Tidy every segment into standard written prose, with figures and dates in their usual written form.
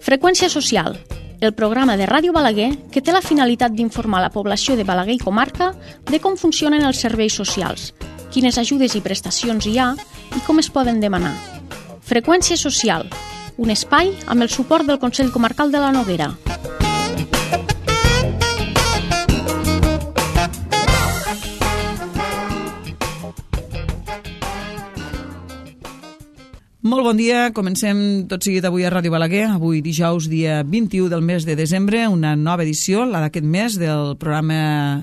Freqüència social, el programa de Ràdio Balaguer que té la finalitat d'informar la població de Balaguer i comarca de com funcionen els serveis socials, quines ajudes i prestacions hi ha i com es poden demanar. Freqüència social, un espai amb el suport del Consell Comarcal de la Noguera. Molt bon dia, comencem tot seguit avui a Ràdio Balaguer, avui dijous dia 21 del mes de desembre, una nova edició, la d'aquest mes, del programa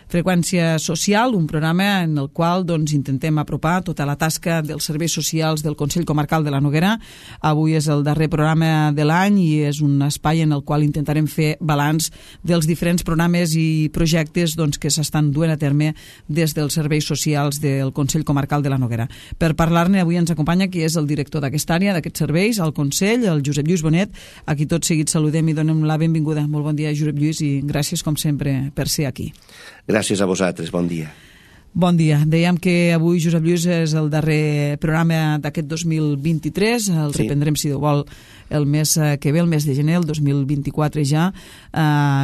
Freqüència Social, un programa en el qual intentem apropar tota la tasca dels serveis socials del Consell Comarcal de la Noguera. Avui és el darrer programa de l'any i és un espai en el qual intentarem fer balanç dels diferents programes i projectes que s'estan duent a terme des dels serveis socials del Consell Comarcal de la Noguera. Per parlar-ne avui ens acompanya qui és el director d'aquesta àrea, d'aquests serveis, al Consell, el Josep Lluís Bonet, a qui tot seguit saludem i donem la benvinguda. Molt bon dia, Josep Lluís, i gràcies, com sempre, per ser aquí. Gràcies a vosaltres, bon dia. Bon dia. Dèiem que avui, Josep Lluís, és el darrer programa d'aquest 2023. El reprendrem, si Déu vol, el mes que ve, el mes de gener, el 2024 ja,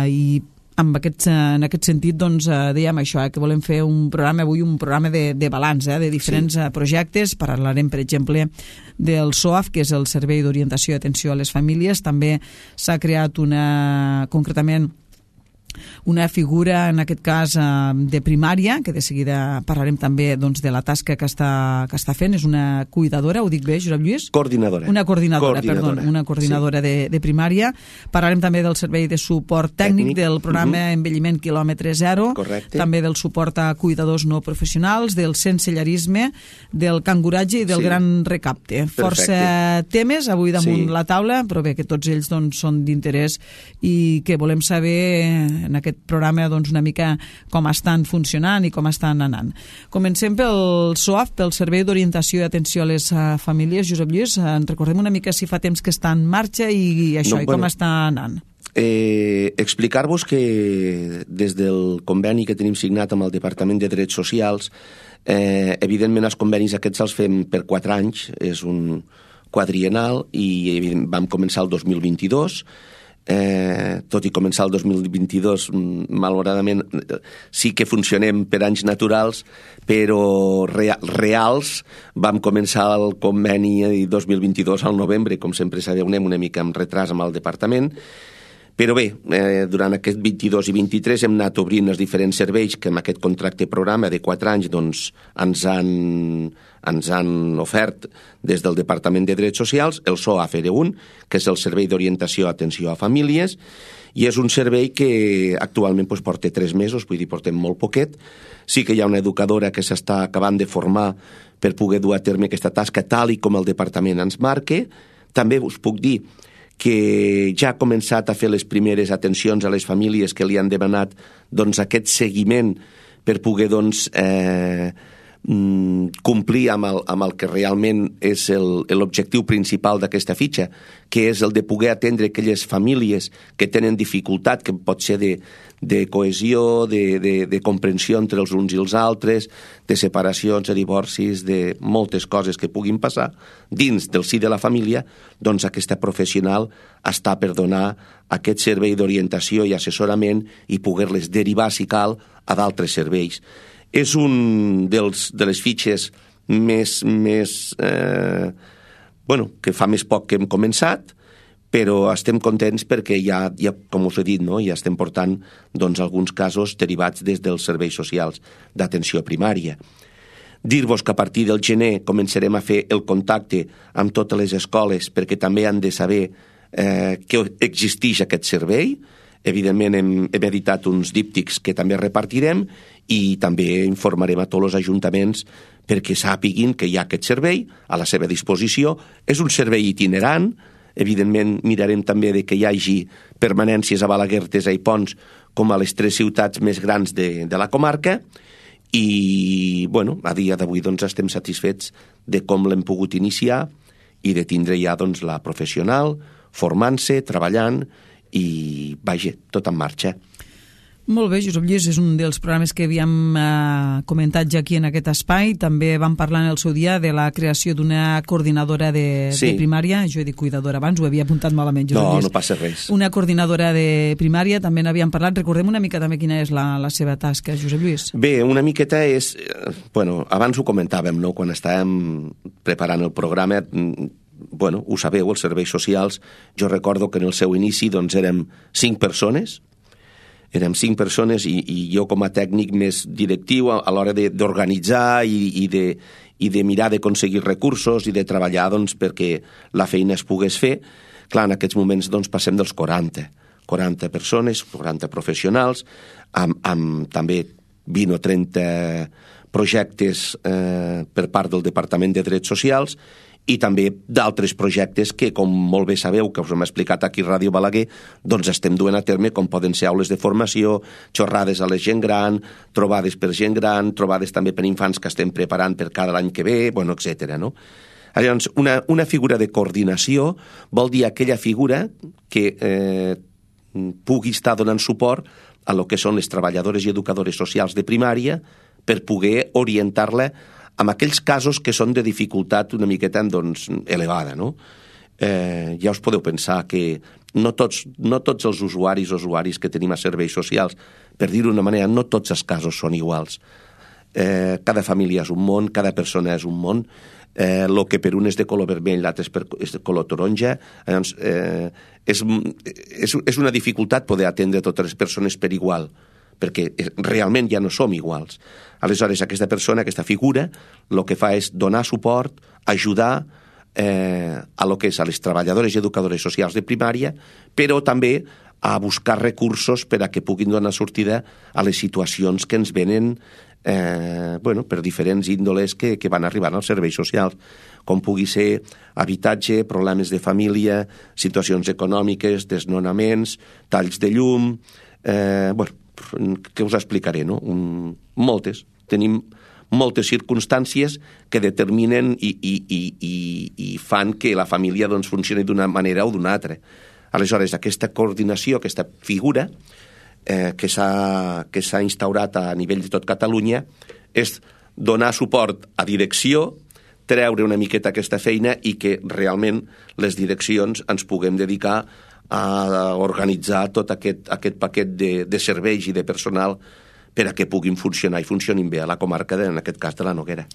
i en aquest sentit dèiem això, que volem fer un programa avui, un programa de balanç, de diferents projectes. Parlarem, per exemple, del SOAF, que és el Servei d'Orientació i Atenció a les Famílies. També s'ha creat concretament una figura, en aquest cas, de primària, que de seguida parlarem també de la tasca que està fent. És una cuidadora, ho dic bé, Josep Lluís? Coordinadora. Una coordinadora de primària. Parlarem també del servei de suport tècnic del programa Envelliment quilòmetre zero. Correcte. També del suport a cuidadors no professionals, del sensellarisme, del canguratge i del gran recapte. Força temes avui damunt la taula, però bé, que tots ells són d'interès i que volem saber en aquest programa una mica com estan funcionant i com estan anant. Comencem pel SOAF, pel Servei d'Orientació i Atenció a les Famílies. Josep Lluís, en recordem una mica si fa temps que està en marxa i això, i com està anant. Explicar-vos que des del conveni que tenim signat amb el Departament de Drets Socials, evidentment els convenis aquests els fem per 4 anys, és un quadriennal i vam començar el 2022. Tot i començar el 2022, malauradament sí que funcionem per anys naturals, però reals vam començar el conveni 2022 al novembre, com sempre sabeu, anem una mica amb retras amb el departament. Però bé, durant aquest 22 i 23 hem anat obrint els diferents serveis que amb aquest contracte programa de 4 anys ens han ofert des del Departament de Drets Socials. El SOAF era un, que és el Servei d'Orientació i Atenció a Famílies, i és un servei que actualment porta 3 mesos, vull dir, portem molt poquet. Sí que hi ha una educadora que s'està acabant de formar per poder dur a terme aquesta tasca tal i com el departament ens marca. També us puc dir que ja ha començat a fer les primeres atencions a les famílies que li han demanat aquest seguiment per poder complir amb el que realment és l'objectiu principal d'aquesta fitxa, que és el de poder atendre aquelles famílies que tenen dificultat, que pot ser de cohesió, de comprensió entre els uns i els altres, de separacions, de divorcis, de moltes coses que puguin passar dins del si de la família. Doncs aquesta professional està per donar aquest servei d'orientació i assessorament i poder-les derivar, si cal, a d'altres serveis. És un de les fitxes que fa més poc que hem començat, però estem contents perquè ja com us he dit, ja estem portant alguns casos derivats des dels serveis socials d'atenció primària. Dir-vos que a partir del gener començarem a fer el contacte amb totes les escoles perquè també han de saber que existeix aquest servei. Evidentment hem editat uns díptics que també repartirem i també informarem a tots els ajuntaments perquè sàpiguin que hi ha aquest servei a la seva disposició. És un servei itinerant. Evidentment mirarem també que hi hagi permanències a Balaguer, Tesa i Pons com a les 3 ciutats més grans de la comarca i a dia d'avui estem satisfets de com l'hem pogut iniciar i de tindre ja la professional formant-se, treballant i, vaja, tot en marxa. Molt bé, Josep Lluís, és un dels programes que havíem comentat ja aquí en aquest espai. També vam parlar en el seu dia de la creació d'una coordinadora de primària. Jo he dit cuidadora abans, ho havia apuntat malament, Josep Lluís. No passa res. Una coordinadora de primària, també n'havíem parlat. Recordem una mica també quina és la seva tasca, Josep Lluís. Bé, una miqueta és... Bueno, abans ho comentàvem, no?, quan estàvem preparant el programa. Bueno, ho sabeu, els serveis socials. Jo recordo que en el seu inici doncs érem 5 persones, i jo com a tècnic més directiu a l'hora d'organitzar i de mirar d'aconseguir recursos i de treballar doncs, perquè la feina es pogués fer. Clar, en aquests moments doncs, passem dels 40 persones, 40 professionals, amb també 20 o 30 projectes per part del Departament de Drets Socials, i també d'altres projectes que, com molt bé sabeu, que us hem explicat aquí a Ràdio Balaguer, doncs estem duent a terme, com poden ser aules de formació, xorrades a la gent gran, trobades per gent gran, trobades també per infants que estem preparant per cada any que ve, bueno, etc. No? Llavors, una figura de coordinació vol dir aquella figura que pugui estar donant suport a lo que són les treballadores i educadores socials de primària per poder orientar-la amb aquells casos que són de dificultat una miqueta doncs, elevada, no? Ja us podeu pensar que no tots els usuaris que tenim a serveis socials, per dir-ho d'una manera, no tots els casos són iguals. Cada família és un món, cada persona és un món, el que per un és de color vermell, l'altre és de color taronja. Llavors, és una dificultat poder atendre totes les persones per igual, perquè realment ja no som iguals. Aleshores, aquesta persona, aquesta figura, el que fa és donar suport, ajudar a lo que és a les treballadores i educadores socials de primària, però també a buscar recursos per a que puguin donar sortida a les situacions que ens venen per diferents índoles que van arribant als serveis socials, com pugui ser habitatge, problemes de família, situacions econòmiques, desnonaments, talls de llum, que us explicaré, no? Moltes. Tenim moltes circumstàncies que determinen i fan que la família doncs, funcioni d'una manera o d'una altra. Aleshores, aquesta coordinació, aquesta figura que s'ha instaurat a nivell de tot Catalunya és donar suport a direcció, treure una miqueta aquesta feina i que realment les direccions ens puguem dedicar a organitzar tot aquest paquet de serveis i de personal per a que puguin funcionar i funcionin bé a la comarca, en aquest cas de la Noguera.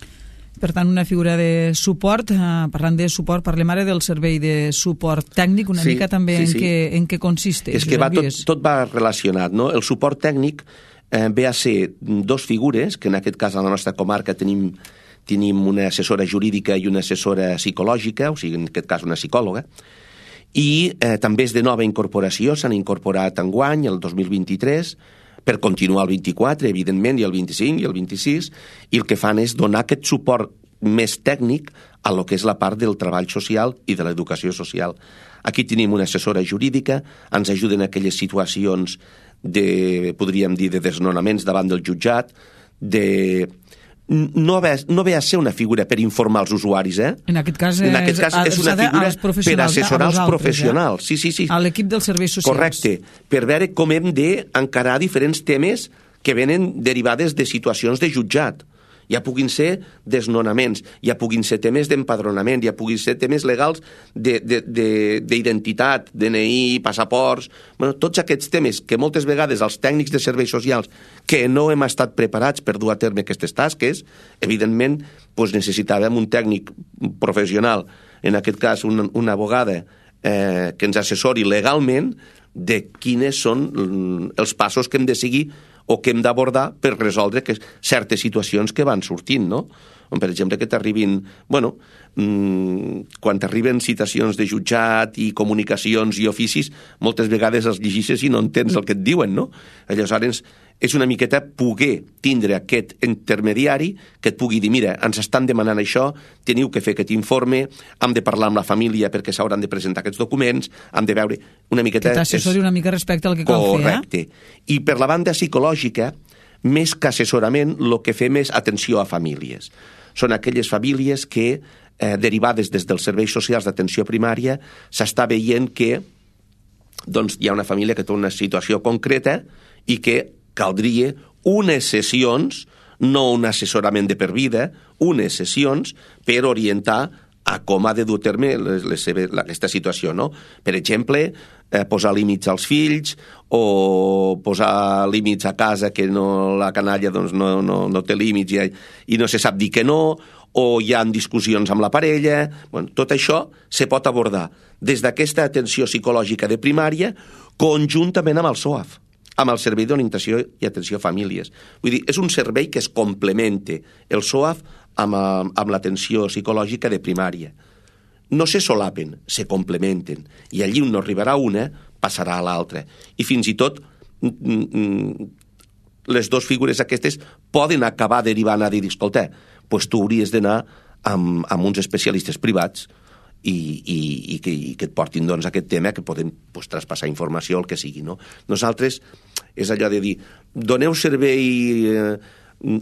Per tant, una figura de suport. Parlant de suport, parlem ara del servei de suport tècnic, una mica també en què consisteix. És que tot va relacionat, no? El suport tècnic ve a ser 2 figures, que en aquest cas a la nostra comarca tenim una assessora jurídica i una assessora psicològica, o sigui, en aquest cas una psicòloga, i també és de nova incorporació, s'han incorporat enguany, el 2023, per continuar el 24, evidentment, i el 25 i el 26, i el que fan és donar aquest suport més tècnic a lo que és la part del treball social i de l'educació social. Aquí tenim una assessora jurídica, ens ajuden en aquelles situacions podríem dir, de desnonaments davant del jutjat, no ve a ser una figura per informar els usuaris, En aquest cas és una figura per assessorar els professionals. Sí. A l'equip dels serveis socials. Correcte, per veure com hem d'encarar diferents temes que venen derivades de situacions de jutjat. Ja puguin ser desnonaments, ja puguin ser temes d'empadronament, ja puguin ser temes legals d'identitat, DNI, passaports... Bueno, tots aquests temes que moltes vegades els tècnics de serveis socials que no hem estat preparats per dur a terme aquestes tasques, evidentment necessitàvem un tècnic professional, en aquest cas una abogada que ens assessori legalment de quines són els passos que hem de seguir o que hem d'abordar per resoldre certes situacions que van sortint, no? Per exemple, que t'arribin... quan t'arriben citacions de jutjat i comunicacions i oficis, moltes vegades els llegeixes i no entens el que et diuen, no? Aleshores, és una miqueta poder tindre aquest intermediari que et pugui dir, mira, ens estan demanant això, teniu que fer aquest informe, hem de parlar amb la família perquè s'hauran de presentar aquests documents, hem de veure una miqueta... Que t'assessori una mica respecte al que cal fer, Correcte. I per la banda psicològica, més que assessorament, el que fem és atenció a famílies. Són aquelles famílies que, derivades des dels serveis socials d'atenció primària, s'està veient que hi ha una família que té una situació concreta i que caldria unes sessions, no un assessorament de per vida, unes sessions per orientar a com ha de dur a terme aquesta situació, no? Per exemple, posar límits als fills o posar límits a casa que la canalla doncs, no té límits i no se sap dir que no, o hi ha discussions amb la parella. Bueno, tot això se pot abordar des d'aquesta atenció psicològica de primària conjuntament amb el SOAF, amb el Servei d'Orientació i Atenció a Famílies. Vull dir, és un servei que es complemente el SOAF amb l'atenció psicològica de primària. No se solapen, se complementen. I allí on no arribarà una, passarà a l'altra. I fins i tot les dues figures aquestes poden acabar derivant a dir, escolta, doncs tu hauries d'anar amb uns especialistes privats i que et portin doncs, aquest tema, que poden traspassar informació, el que sigui. No? Nosaltres és allò de dir, doneu servei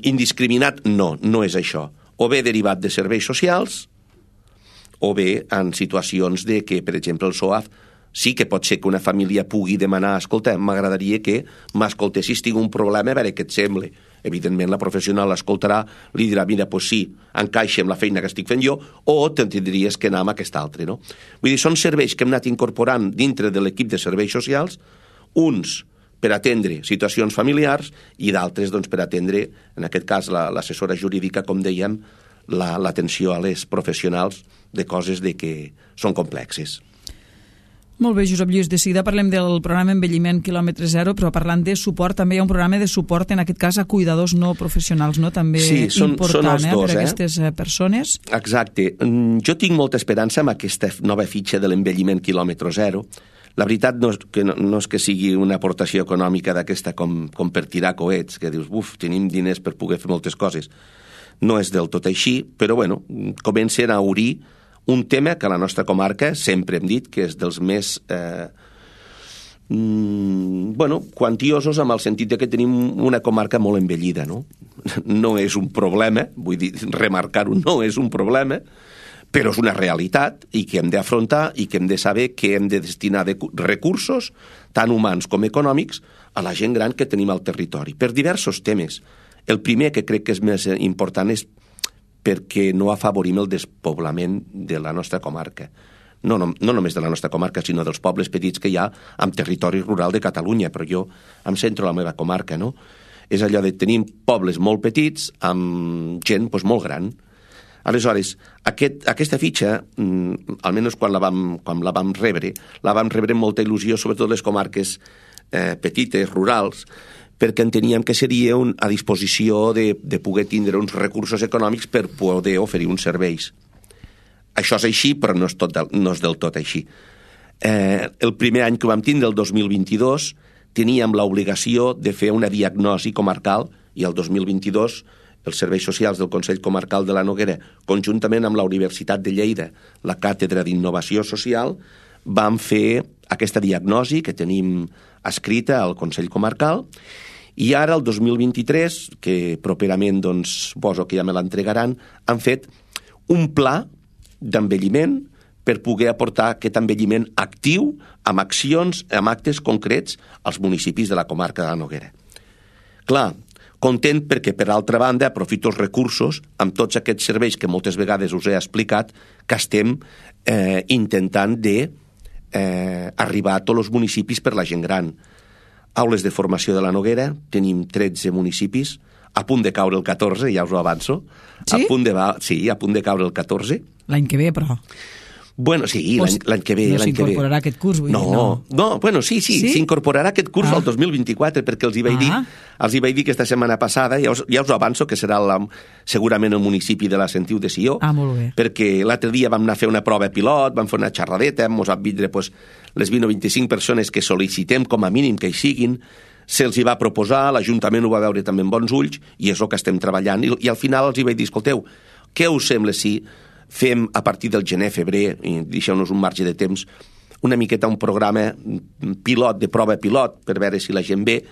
indiscriminat? No, no és això. O bé derivat de serveis socials, o bé en situacions de que, per exemple, el SOAF sí que pot ser que una família pugui demanar, escolta, m'agradaria que m'escoltessis, tinc un problema, a veure què et sembla. Evidentment, la professional l'escoltarà, li dirà, mira, doncs sí, encaixa amb la feina que estic fent jo, o tindries que anar amb aquest altre, no? Vull dir, són serveis que hem anat incorporant dintre de l'equip de serveis socials, uns per atendre situacions familiars i d'altres doncs, per atendre, en aquest cas, l'assessora jurídica, com dèiem, l'atenció a les professionals de coses de que són complexes. Molt bé, Josep Lluís, de seguida parlem del programa Envelliment quilòmetre zero, però parlant de suport, també hi ha un programa de suport, en aquest cas, a cuidadors no professionals, no? També sí, important són per a aquestes persones. Exacte. Jo tinc molta esperança amb aquesta nova fitxa de l'envelliment quilòmetre zero. La veritat no és que sigui una aportació econòmica d'aquesta com per tirar coets, que dius, tenim diners per poder fer moltes coses. No és del tot així, però bueno, comencen a obrir un tema que a la nostra comarca sempre hem dit que és dels més quantiosos, amb el sentit que tenim una comarca molt envellida, no? No és un problema, vull dir, remarcar-ho, no és un problema, però és una realitat i que hem d'afrontar i que hem de saber que hem de destinar recursos, tant humans com econòmics, a la gent gran que tenim al territori, per diversos temes. El primer, que crec que és més important, és perquè no afavorim el despoblament de la nostra comarca. No només de la nostra comarca, sinó dels pobles petits que hi ha en territori rural de Catalunya, però jo em centro a la meva comarca, no? És allò de tenir pobles molt petits amb gent molt gran. Aleshores, aquesta fitxa, almenys quan la vam rebre amb molta il·lusió, sobretot les comarques petites, rurals, perquè enteníem que seria a disposició de poder tindre uns recursos econòmics per poder oferir uns serveis. Això és així, però no és del tot així. El primer any que vam tindre, el 2022, teníem l'obligació de fer una diagnosi comarcal i el 2022 els serveis socials del Consell Comarcal de la Noguera, conjuntament amb la Universitat de Lleida, la Càtedra d'Innovació Social, vam fer aquesta diagnosi que tenim escrita al Consell Comarcal, i ara, el 2023, que properament suposo que ja me l'entregaran, han fet un pla d'envelliment per poder aportar aquest envelliment actiu amb accions, amb actes concrets als municipis de la comarca de la Noguera. Clar, content perquè, per altra banda, aprofito els recursos amb tots aquests serveis que moltes vegades us he explicat que estem intentant d'arribar a tots els municipis per la gent gran. Aules de formació de la Noguera, tenim 13 municipis, a punt de caure el 14, ja us ho avanço. Sí? A punt de caure el 14. L'any que ve, però. Bueno, sí, l'any que ve. No s'incorporarà aquest curs, vull dir, no, bueno, sí, s'incorporarà aquest curs al 2024, perquè els hi vaig dir aquesta setmana passada, ja us avanço que serà segurament el municipi de la Sentiu de Sió, molt bé. perquè l'altre dia vam anar a fer una prova pilot, vam fer una xerradeta, ens vam vindre les 20 o 25 persones que sol·licitem com a mínim que hi siguin, se'ls hi va proposar, l'Ajuntament ho va veure també amb bons ulls, i és el que estem treballant, i al final els hi vaig dir, escolteu, què us sembla si fem a partir del gener-febrer, i deixeu-nos un marge de temps, una miqueta un programa pilot, de prova pilot, per veure si la gent ve,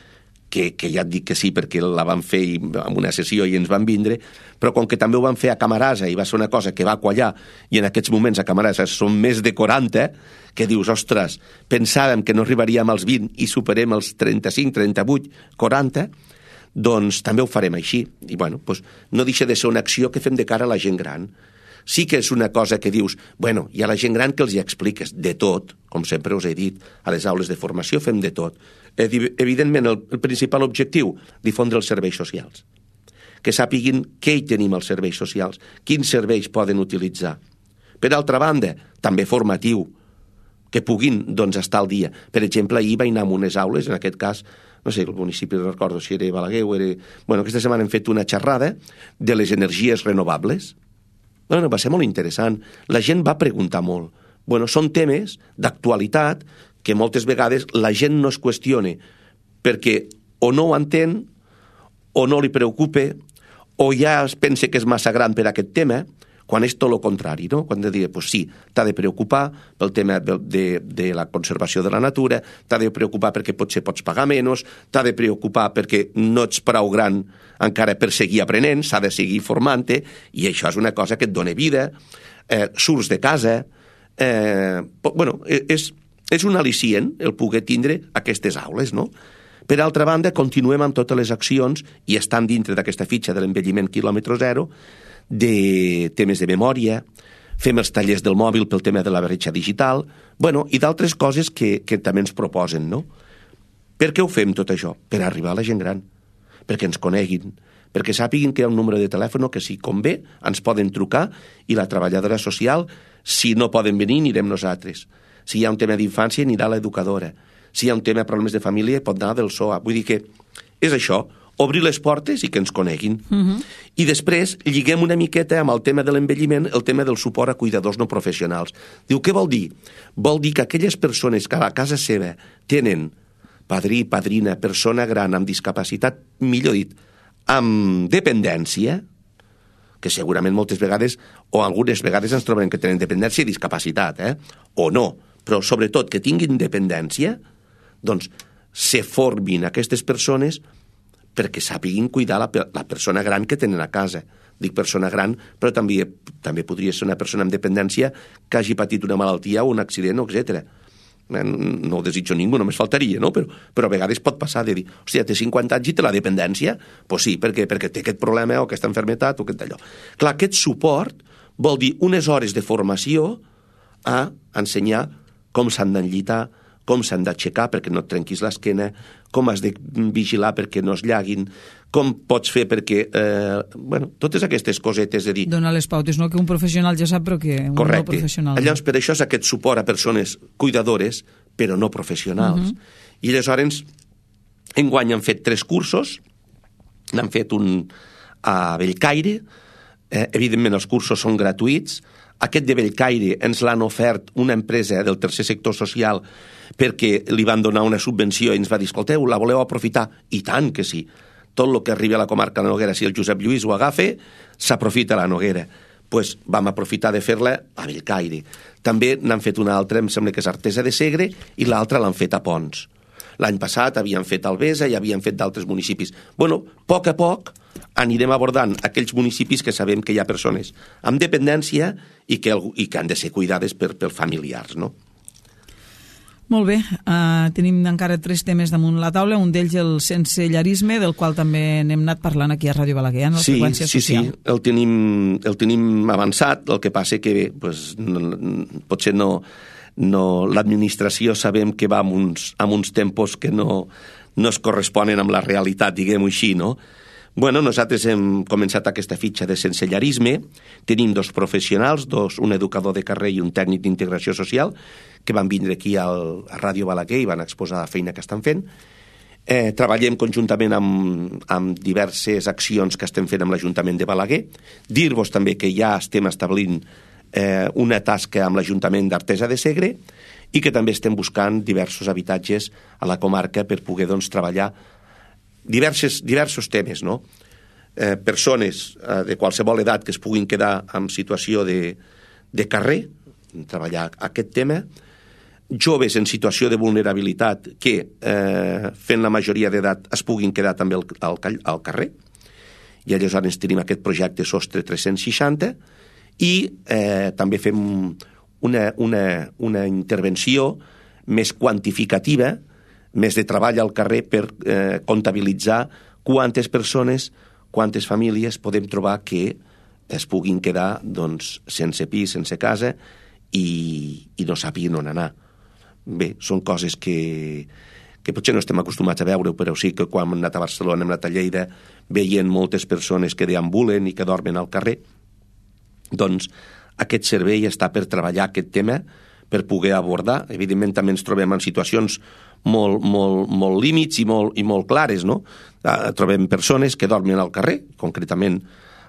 que ja et dic que sí perquè la van fer en una sessió i ens van vindre, però com que també ho van fer a Camarasa i va ser una cosa que va quallar, i en aquests moments a Camarasa són més de 40, que dius, ostres, pensàvem que no arribaríem als 20 i superem els 35, 38, 40, doncs també ho farem així. I bueno, doncs no deixa de ser una acció que fem de cara a la gent gran. Sí que és una cosa que dius, bueno, i a la gent gran que els hi expliques de tot, com sempre us he dit, a les aules de formació fem de tot. Evidentment, el principal objectiu, difondre els serveis socials. Que sàpiguin què hi tenim als serveis socials, quins serveis poden utilitzar. Per altra banda, també formatiu, que puguin doncs, estar al dia. Per exemple, ahir vaig anar a unes aules, en aquest cas, no sé, el municipi, no recordo si era Balaguer o era... Bueno, aquesta setmana hem fet una xerrada de les energies renovables. Bueno, va ser molt interessant. La gent va preguntar molt. Bueno, són temes d'actualitat que moltes vegades la gent no es qüestiona perquè o no ho entén o no li preocupa o ja es pensa que és massa gran per aquest tema, quan és tot el contrari, no? Quan de dir, pues sí, t'ha de preocupar pel tema de la conservació de la natura, t'ha de preocupar perquè potser pots pagar menys, t'ha de preocupar perquè no ets prou gran encara per seguir aprenent, s'ha de seguir formant-te, i això és una cosa que et dona vida, surts de casa, bueno, és un al·licient el poder tindre aquestes aules, no? Per altra banda, continuem amb totes les accions, i estan dintre d'aquesta fitxa de l'envelliment quilòmetre zero, de temes de memòria, fem els tallers del mòbil pel tema de la bretxa digital, bueno, i d'altres coses que també ens proposen, no? Per què ho fem tot això? Per arribar a la gent gran, perquè ens coneguin, perquè sàpiguin que hi ha un número de telèfon que si convé ens poden trucar i la treballadora social, si no poden venir, anirem nosaltres. Si hi ha un tema d'infància, anirà l'educadora. Si hi ha un tema de problemes de família, pot anar del SOA. Vull dir que és això, obrir les portes i que ens coneguin. I després lliguem una miqueta amb el tema de l'envelliment, el tema del suport a cuidadors no professionals. Diu, què vol dir? Vol dir que aquelles persones que a la casa seva tenen padrí, padrina, persona gran amb discapacitat, millor dit, amb dependència, que segurament moltes vegades, o algunes vegades ens trobem que tenen dependència i discapacitat, o no, però sobretot que tinguin dependència, doncs se formin aquestes persones perquè sàpiguin cuidar la persona gran que tenen a casa. Dic persona gran, però també podria ser una persona amb dependència que hagi patit una malaltia o un accident, etc. No ho desitjo ningú, només faltaria, no? Però a vegades pot passar de dir, hòstia, té 50 anys i té la dependència? Doncs sí, perquè té aquest problema o aquesta malaltia o aquest allò. Clar, aquest suport vol dir unes hores de formació a ensenyar com s'han d'enllitar, com s'han d'aixecar perquè no et trenquis l'esquena, com has de vigilar perquè no es llaguin, com pots fer perquè... bueno, totes aquestes cosetes de dir... Donar les pautes, no? Que un professional ja sap, però que un no professional... Llavors, per això és aquest suport a persones cuidadores, però no professionals. I aleshores, enguany han fet 3 cursos, n'han fet un a Bellcaire, evidentment els cursos són gratuïts, aquest de Bellcaire ens l'han ofert una empresa del tercer sector social perquè li van donar una subvenció i ens va dir, escolteu, la voleu aprofitar? I tant que sí. Tot el que arribi a la comarca de la Noguera, si el Josep Lluís ho agafa, s'aprofita a la Noguera. Doncs vam aprofitar de fer-la a Bellcaire. També n'han fet una altra, em sembla que és Artesa de Segre, i l'altra l'han fet a Pons. L'any passat havien fet Albesa i havien fet d'altres municipis. Bueno, a poc anirem abordant aquells municipis que sabem que hi ha persones amb dependència i que han de ser cuidades per familiars, no? Molt bé, tenim encara 3 temes damunt la taula, un d'ells el sensellarisme, del qual també n'hem anat parlant aquí a Ràdio Balaguer, en la freqüència social. Sí, el tenim avançat, el que passa que pues, potser no l'administració sabem que va amb uns tempos que no es corresponen amb la realitat, diguem-ho així, no? Bueno, nosaltres hem començat aquesta fitxa de sensellarisme, tenim 2 professionals, un educador de carrer i un tècnic d'integració social, que van vindre aquí a Ràdio Balaguer i van exposar la feina que estan fent. Treballem conjuntament amb diverses accions que estem fent amb l'Ajuntament de Balaguer. Dir-vos també que ja estem establint una tasca amb l'Ajuntament d'Artesa de Segre i que també estem buscant diversos habitatges a la comarca per poder doncs, treballar diversos temes, no? Persones de qualsevol edat que es puguin quedar en situació de carrer, treballar aquest tema, joves en situació de vulnerabilitat que, fent la majoria d'edat, es puguin quedar també al carrer. I aleshores tenim aquest projecte Sostre 360 i també fem una intervenció més quantificativa, més de treball al carrer per comptabilitzar quantes persones, quantes famílies podem trobar que es puguin quedar sense pis, sense casa i no sàpiguen on anar. Bé, són coses que potser no estem acostumats a veure, però sí que quan hem anat a Barcelona, hem anat a Lleida, veient moltes persones que deambulen i que dormen al carrer. Doncs aquest servei està per treballar aquest tema, per poder abordar. Evidentment també ens trobem en situacions molt límits i molt clares, no? Trobem persones que dormen al carrer, concretament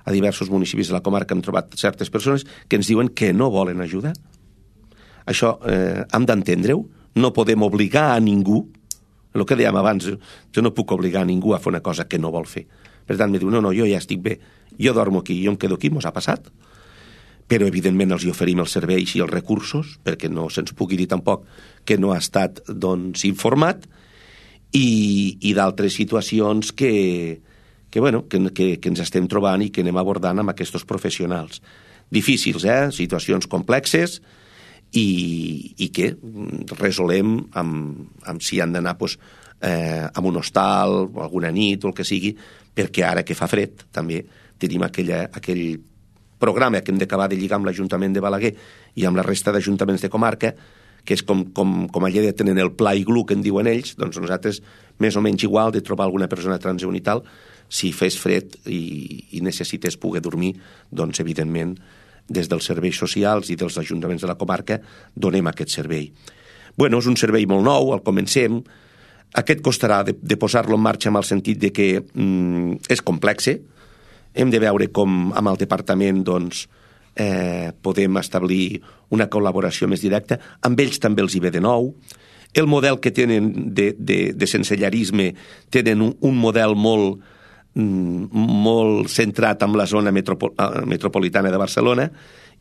a diversos municipis de la comarca hem trobat certes persones que ens diuen que no volen ajuda. Això hem d'entendre-ho, no podem obligar a ningú. El que dèiem abans, jo no puc obligar a ningú a fer una cosa que no vol fer. Per tant, me diu, no, jo ja estic bé, jo dormo aquí, jo em quedo aquí, mos ha passat. Però, evidentment, els hi oferim els serveis i els recursos, perquè no se'ns pugui dir tampoc que no ha estat, informat, i d'altres situacions que ens estem trobant i que anem abordant amb aquests professionals. Difícils, situacions complexes, i que resolem amb si han d'anar a un hostal o alguna nit o el que sigui, perquè ara que fa fred també tenim aquell programa que hem d'acabar de lligar amb l'Ajuntament de Balaguer i amb la resta d'ajuntaments de comarca, que és com a Lleida tenen el pla iglú que en diuen ells, doncs nosaltres més o menys igual de trobar alguna persona transeünt i tal, si fes fred i necessites poder dormir, doncs evidentment des dels serveis socials i dels ajuntaments de la comarca donem aquest servei. Bueno, és un servei molt nou, el comencem. Aquest costarà de posar-lo en marxa en el sentit de que és complexe. Hem de veure com amb el departament podem establir una col·laboració més directa. Amb ells també els hi ve de nou. El model que tenen de sensellarisme tenen un model molt centrat en la zona metropolitana de Barcelona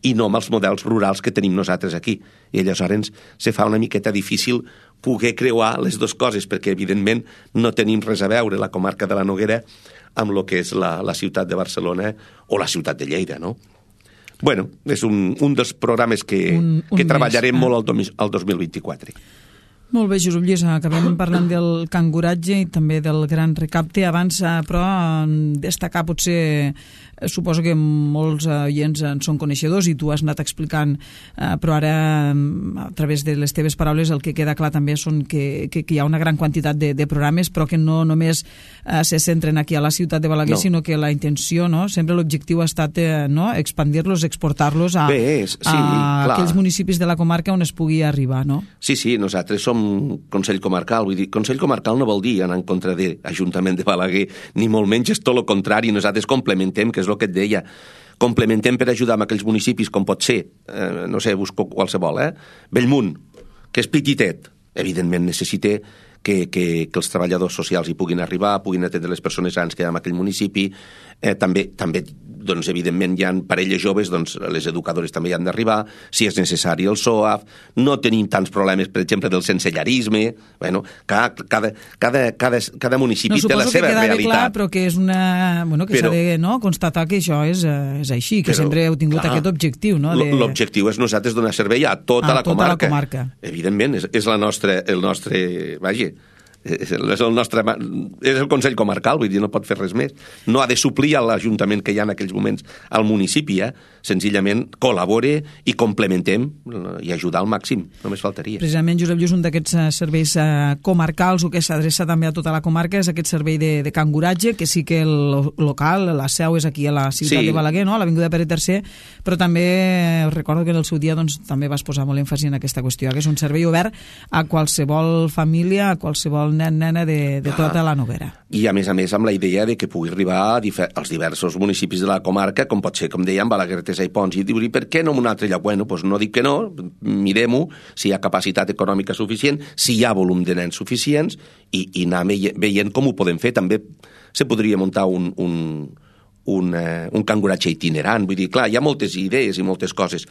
i no amb els models rurals que tenim nosaltres aquí. I aleshores se fa una miqueta difícil poder creuar les dues coses, perquè evidentment no tenim res a veure la comarca de la Noguera amb el que és la ciutat de Barcelona o la ciutat de Lleida, no? Bueno, és un dels programes que treballarem molt al 2024. Molt bé, Josep Lluís, acabem parlant del canguratge i també del gran recapte. Abans, però, destacar potser, suposo que molts oients en són coneixedors i tu has anat explicant, però ara, a través de les teves paraules, el que queda clar també són que hi ha una gran quantitat de programes, però que no només se centren aquí a la ciutat de Balaguer, sinó que la intenció, sempre l'objectiu ha estat expandir-los, exportar-los a aquells municipis de la comarca on es pugui arribar, no? Sí, nosaltres som Consell Comarcal, vull dir, Consell Comarcal no vol dir anar en contra de l'Ajuntament de Balaguer, ni molt menys és tot el contrari, nosaltres complementem, que és el que et deia, complementem per ajudar en aquells municipis com pot ser, no sé, busco qualsevol, Bellmunt, que és petitet, evidentment necessita que els treballadors socials hi puguin arribar, puguin atendre les persones grans que hi ha en aquell municipi, també doncs, evidentment, hi ha parelles joves, doncs les educadores també hi han d'arribar, si és necessari el SOAF, no tenim tants problemes, per exemple, del sensellarisme, bueno, cada municipi té la seva realitat. Suposo que queda bé clar, però que és una... Bueno, que s'ha de constatar que això és així, que sempre heu tingut aquest objectiu, no? L'objectiu és nosaltres donar servei a tota la comarca. Evidentment, és el nostre... Vaja, és el Consell Comarcal, vull dir, no pot fer res més. No ha de suplir a l'Ajuntament que hi ha en aquells moments al municipi, senzillament col·labore i complementem i ajudar al màxim, només faltaria. Precisament, Josep Lluís, un d'aquests serveis comarcals o que s'adreça també a tota la comarca és aquest servei de canguratge, que sí que el local, la seu és aquí a la ciutat de Balaguer, no? A l'Avinguda Pere III, però també recordo que en el seu dia també vas posar molt èmfasi en aquesta qüestió, que és un servei obert a qualsevol família, a qualsevol nena de tota la Noguera. I a més amb la idea de que pugui arribar als diversos municipis de la comarca, com pot ser, com dèiem, Balaguer, Artesa i Pons, i dir, per què no en un altre lloc? Bueno, doncs no dic que no, mirem-ho, si hi ha capacitat econòmica suficient, si hi ha volum de nens suficients, i anar veient com ho podem fer. També se podria muntar un canguratge itinerant, vull dir, clar, hi ha moltes idees i moltes coses.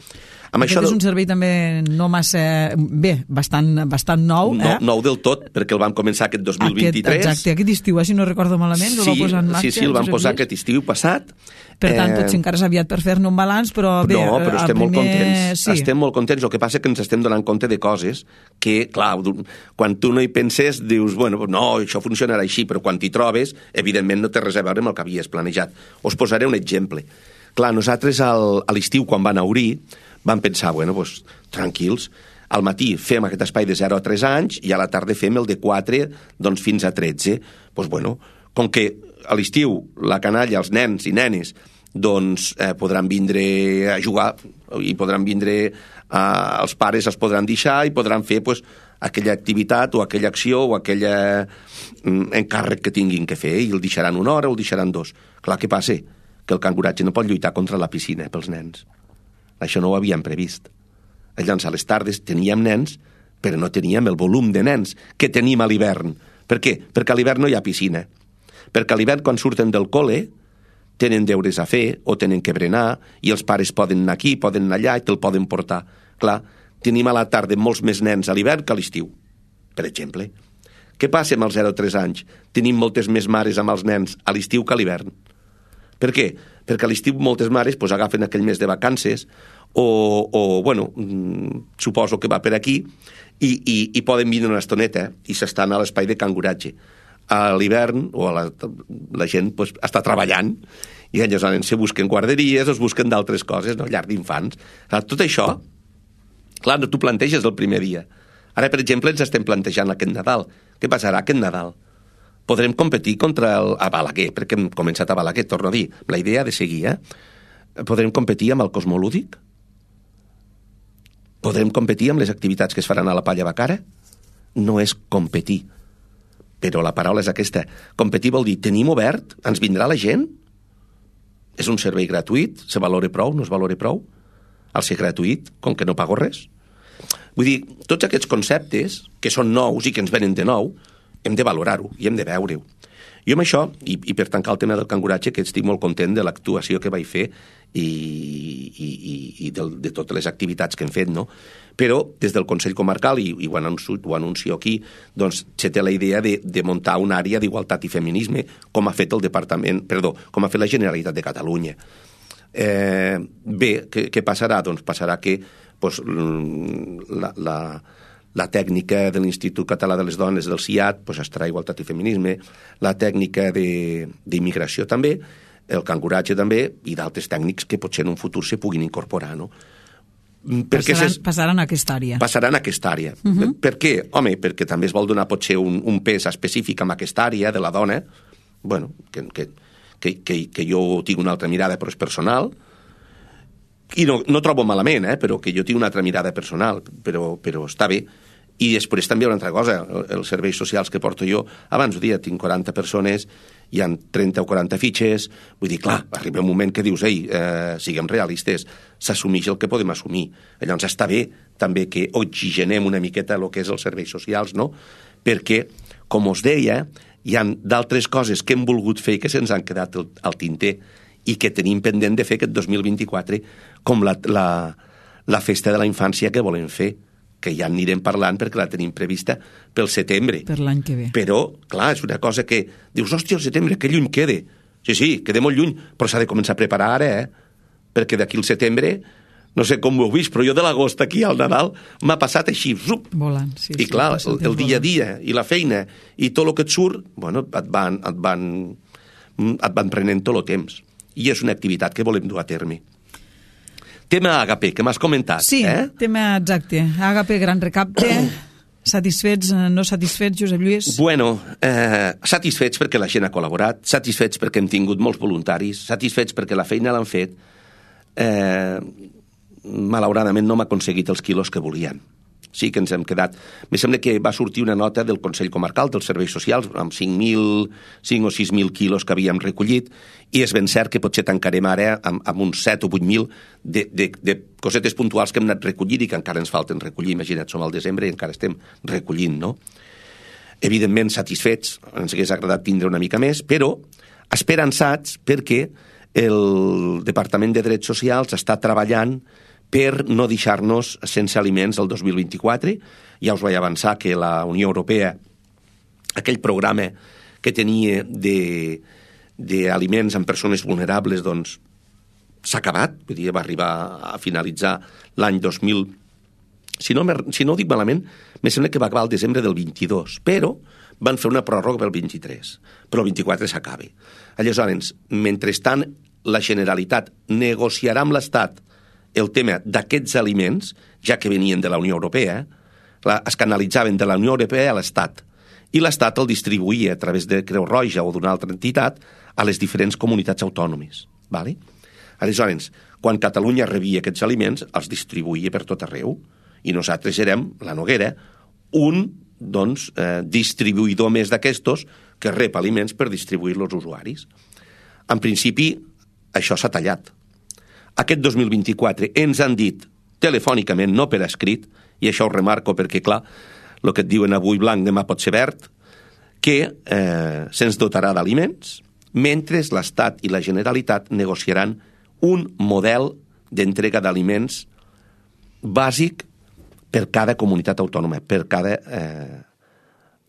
Aquest és un servei també no massa... Bé, bastant nou. Nou del tot, perquè el vam començar aquest 2023. Exacte, aquest estiu, si no recordo malament, el va posar en marxa. Sí, el vam posar aquest estiu passat. Per tant, potser encara és aviat per fer-ne un balanç, però bé... No, però estem molt contents. Estem molt contents. El que passa és que ens estem donant compte de coses que, clar, quan tu no hi penses, dius, bueno, no, això funcionarà així, però quan t'hi trobes, evidentment no té res a veure amb el que havies planejat. Us posaré un exemple. Clar, nosaltres a l'estiu, quan van obrir, vam pensar, bueno, doncs, tranquils, al matí fem aquest espai de 0 a 3 anys i a la tarda fem el de 4 doncs, fins a 13. Doncs, bueno, com que a l'estiu la canalla, els nens i nenes, doncs podran vindre a jugar i podran vindre, els pares els podran deixar i podran fer pues, aquella activitat o aquella acció o aquell encàrrec que tinguin que fer i el deixaran una hora o el deixaran 2. Clar, què passa? Que el canguratge no pot lluitar contra la piscina pels nens. Això no ho havíem previst. Llavors, a les tardes teníem nens, però no teníem el volum de nens que tenim a l'hivern. Per què? Perquè a l'hivern no hi ha piscina. Perquè a l'hivern, quan surten del col·le, tenen deures a fer o tenen que berenar i els pares poden anar aquí, poden anar allà i te'l poden portar. Clar, tenim a la tarda molts més nens a l'hivern que a l'estiu, per exemple. Què passa amb els 0 a 3 anys? Tenim moltes més mares amb els nens a l'estiu que a l'hivern. Per què? Perquè a l'estiu moltes mares pues, agafen aquell mes de vacances o bueno, suposo que va per aquí i poden vindre una estoneta i s'estan a l'espai de canguratge. A l'hivern o la gent pues, està treballant i llavors se busquen guarderies o es busquen d'altres coses, no? Llar d'infants. Tot això, clar, no t'ho planteges el primer dia. Ara, per exemple, ens estem plantejant aquest Nadal. Què passarà aquest Nadal? Podrem competir contra a Balaguer, perquè hem començat a Balaguer, torno a dir, la idea de seguir, Podrem competir amb el Cosmolúdic? Podrem competir amb les activitats que es faran a la Palla Bacara? No és competir, però la paraula és aquesta. Competir vol dir, tenim obert? Ens vindrà la gent? És un servei gratuït? Se valora prou? No es valora prou? Al ser gratuït, com que no pago res? Vull dir, tots aquests conceptes, que són nous i que ens venen de nou, hem de valorar-ho i hem de veure-ho. Jo amb això, i per tancar el tema del canguratge, que estic molt content de l'actuació que vaig fer i de totes les activitats que hem fet, no? Però des del Consell Comarcal, i ho anuncio aquí, doncs se té la idea de muntar una àrea d'igualtat i feminisme, com ha fet com ha fet la Generalitat de Catalunya. Bé, què passarà? Doncs passarà que la tècnica de l'Institut Català de les Dones del CIAT pues, estarà igualtat i feminisme, la tècnica d'immigració també, el canguratge també, i d'altres tècnics que potser en un futur se puguin incorporar, no? Passaran a aquesta àrea. Passaran a aquesta àrea. Per què? Home, perquè també es vol donar potser un pes específic en aquesta àrea de la dona, bueno, que jo tinc una altra mirada, però és personal, i no trobo malament, però que jo tinc una altra mirada personal, però està bé. I després també una altra cosa, els serveis socials que porto jo, abans ho dia, tinc 40 persones, hi ha 30 o 40 fitxes, vull dir, clar, arriba un moment que dius, siguem realistes, s'assumeix el que podem assumir. Llavors està bé també que oxigenem una miqueta el que és els serveis socials, no? Perquè, com us deia, hi ha d'altres coses que hem volgut fer i que se'ns han quedat al tinter i que tenim pendent de fer aquest 2024, com la festa de la infància que volem fer, que ja anirem parlant perquè la tenim prevista pel setembre. Per l'any que ve. Però, clar, és una cosa que dius, hòstia, el setembre, que lluny queda. Sí, queda molt lluny, però s'ha de començar a preparar ara, perquè d'aquí al setembre, no sé com ho heu vist, però jo de l'agost aquí al Nadal m'ha passat així, zup. Volant, sí. I clar, el dia a dia i la feina i tot el que et surt, bueno, et van prenent tot el temps. I és una activitat que volem dur a terme. Tema Agape, que m'has comentat. Sí, tema exacte. Agape, gran recapte. Satisfets, no satisfets, Josep Lluís? Bueno, satisfets perquè la gent ha col·laborat, satisfets perquè hem tingut molts voluntaris, satisfets perquè la feina l'han fet. Malauradament no hem aconseguit els quilos que volien. Sí que ens hem quedat... Me sembla que va sortir una nota del Consell Comarcal dels Serveis Socials amb 5 o 6.000 quilos que havíem recollit i és ben cert que potser tancarem ara amb uns 7 o 8.000 de cosetes puntuals que hem anat recollint i que encara ens falten recollir. Imagina't, som al desembre i encara estem recollint, no? Evidentment satisfets, ens hagués agradat tindre una mica més, però esperançats perquè el Departament de Drets Socials està treballant per no deixar-nos sense aliments el 2024. Ja us vaig avançar que la Unió Europea, aquell programa que tenia d'aliments en persones vulnerables, doncs s'ha acabat, vull dir, va arribar a finalitzar l'any 2000. Si no ho dic malament, me sembla que va acabar el desembre del 22, però van fer una pròrroga pel 23, però el 24 s'acaba. Aleshores, mentrestant, la Generalitat negociarà amb l'Estat el tema d'aquests aliments, ja que venien de la Unió Europea, es canalitzaven de la Unió Europea a l'Estat, i l'Estat el distribuïa a través de Creu Roja o d'una altra entitat a les diferents comunitats autònomes. Vale? Aleshores, quan Catalunya rebia aquests aliments, els distribuïa per tot arreu, i nosaltres érem, la Noguera, un distribuïdor més d'aquestos que rep aliments per distribuir-los als usuaris. En principi, això s'ha tallat. Aquest 2024 ens han dit telefònicament, no per escrit, i això ho remarco perquè, clar, el que et diuen avui blanc, demà pot ser verd, que se'ns dotarà d'aliments, mentre l'Estat i la Generalitat negociaran un model d'entrega d'aliments bàsic per cada comunitat autònoma, per cada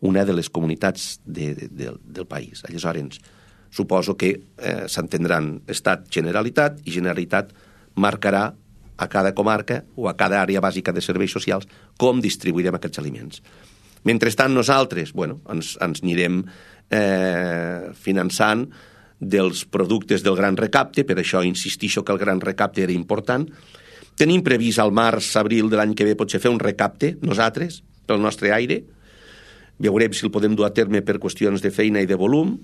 una de les comunitats del país. Aleshores, suposo que s'entendran Estat, Generalitat, i Generalitat marcarà a cada comarca o a cada àrea bàsica de serveis socials com distribuirem aquests aliments. Mentrestant, nosaltres ens anirem finançant dels productes del Gran Recapte, per això insistixo que el Gran Recapte era important. Tenim previst al març-abril de l'any que ve potser fer un recapte, nosaltres, pel nostre aire. Veurem si el podem dur a terme per qüestions de feina i de volum,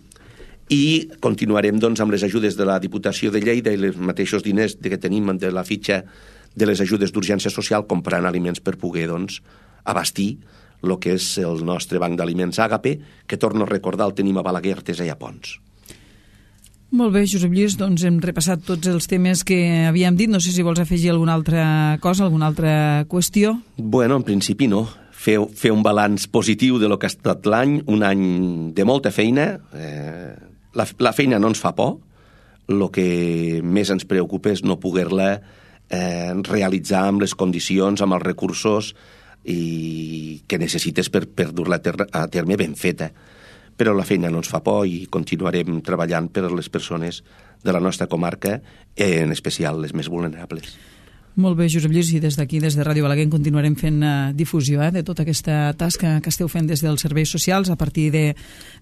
i continuarem amb les ajudes de la Diputació de Lleida i els mateixos diners que tenim de la fitxa de les ajudes d'urgència social, comprant aliments per poder abastir el que és el nostre banc d'aliments Àgape, que torno a recordar el tenim a Balaguer, Artesa i a Pons. Molt bé, Josep Lluís, doncs hem repassat tots els temes que havíem dit. No sé si vols afegir alguna altra cosa, alguna altra qüestió. Bueno, en principi no. Fer un balanç positiu de lo que ha estat l'any, un any de molta feina. La feina no ens fa por. El que més ens preocupa és no poder-la realitzar amb les condicions, amb els recursos que necessites per dur-la a terme ben feta. Però la feina no ens fa por i continuarem treballant per a les persones de la nostra comarca, en especial les més vulnerables. Molt bé, Josep Lluís, i des d'aquí, des de Ràdio Balaguer, continuarem fent difusió de tota aquesta tasca que esteu fent des dels serveis socials a partir de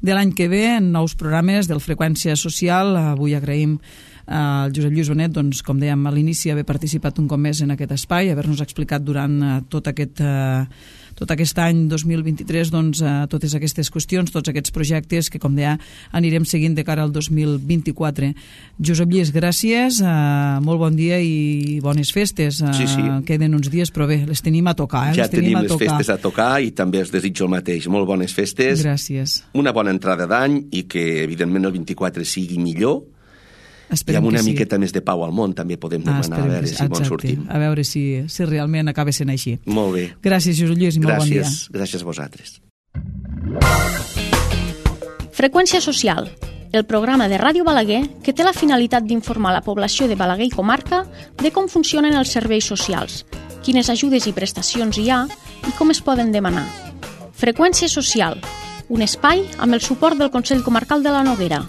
l'any que ve, en nous programes del Freqüència Social. Avui agraïm al Josep Lluís Bonet, doncs, com dèiem a l'inici, haver participat un cop més en aquest espai, haver-nos explicat durant tot aquest any 2023 totes aquestes qüestions, tots aquests projectes que, com deia, anirem seguint de cara al 2024. Josep Lluís, gràcies, molt bon dia i bones festes. Sí. Queden uns dies, però bé, les tenim a tocar. Ja tenim les festes a tocar i també els desitjo el mateix. Molt bones festes. Gràcies. Una bona entrada d'any i que, evidentment, el 24 sigui millor. Esperem i amb una sí. miqueta més de pau al món també podem demanar a veure si bon sortim. A veure si realment acaba sent així. Molt bé. Gràcies, Josep Lluís, i molt bon dia. Gràcies a vosaltres. Freqüència Social, el programa de Ràdio Balaguer que té la finalitat d'informar la població de Balaguer i comarca de com funcionen els serveis socials, quines ajudes i prestacions hi ha i com es poden demanar. Freqüència Social, un espai amb el suport del Consell Comarcal de la Noguera.